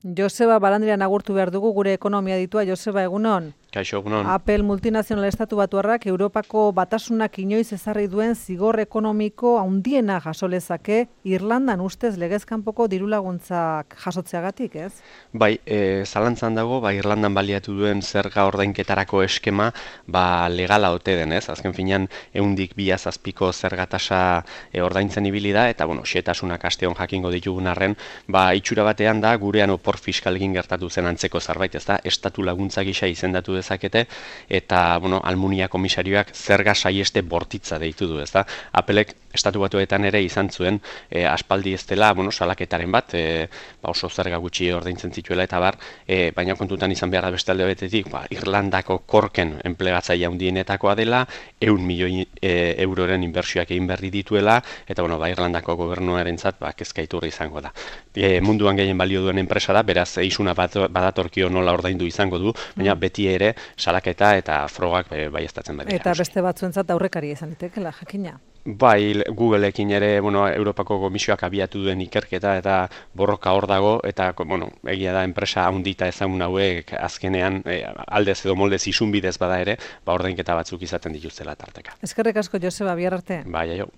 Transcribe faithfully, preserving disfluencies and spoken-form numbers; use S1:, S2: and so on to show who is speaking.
S1: Joseba Barandiaran agurtu behar dugu gure ekonomia ditua. Joseba, egunon?
S2: Kaixo, egunon.
S1: Apple multinazional estatu batuarrak Europako batasunak inoiz ezarri duen zigor ekonomiko handiena jaso lezake Irlandan ustez legez kanpoko dirulaguntzak jasotzeagatik, ez?
S2: Bai, e, zalantzan dago, ba, Irlandan baliatu duen zerga ordainketarako eskema ba, legala ote den, ez? Azken finean, ehundik bi zazpiko zergatasa e, ordaintzen ibili da, eta, bueno, xetasunak asteon jakingo ditugun arren, ba, itxura batean da, gurean opor fiskalgin gertatu zen antzeko zerbait, ez da, estatu laguntza gisa izendatu dezakete, eta, bueno, Almunia komisarioak zerga saieste bortitza deitu du, ez da. Appelek estatu batuetan ere izan zuen, e, aspaldi ez dela, bueno, salaketaren bat, e, ba, oso zerga gutxi ordaintzen zituela, eta bar, e, baina kontutan izan behar da beste alde betetik, ba, Irlandako korken enplegatzaile handienetakoa dela, ehun milioi e, euroren inbertsioak egin berri dituela, eta, bueno, ba, Irlandako gobernuarentzat, ba, kezka iturri izango da. E, munduan gehien balio duen enpresa da, beraz, eizuna badatorkio nola ordaindu izango du, baina beti ere salaketa eta frogak baieztatzen badira.
S1: Eta beste batzuentzat aurrekaria izan litekeela, jakina.
S2: Bai, Googleekin ere, bueno, Europako Komisioak abiatu duen ikerketa eta borroka hor dago, eta, bueno, egia da enpresa handita ezagun hauek azkenean e, aldez edo moldez isunbidez bada ere, ba ordainketa batzuk izaten dituztela tarteka.
S1: Eskerrik asko, Joseba, bihar arte.
S2: Bai, aio.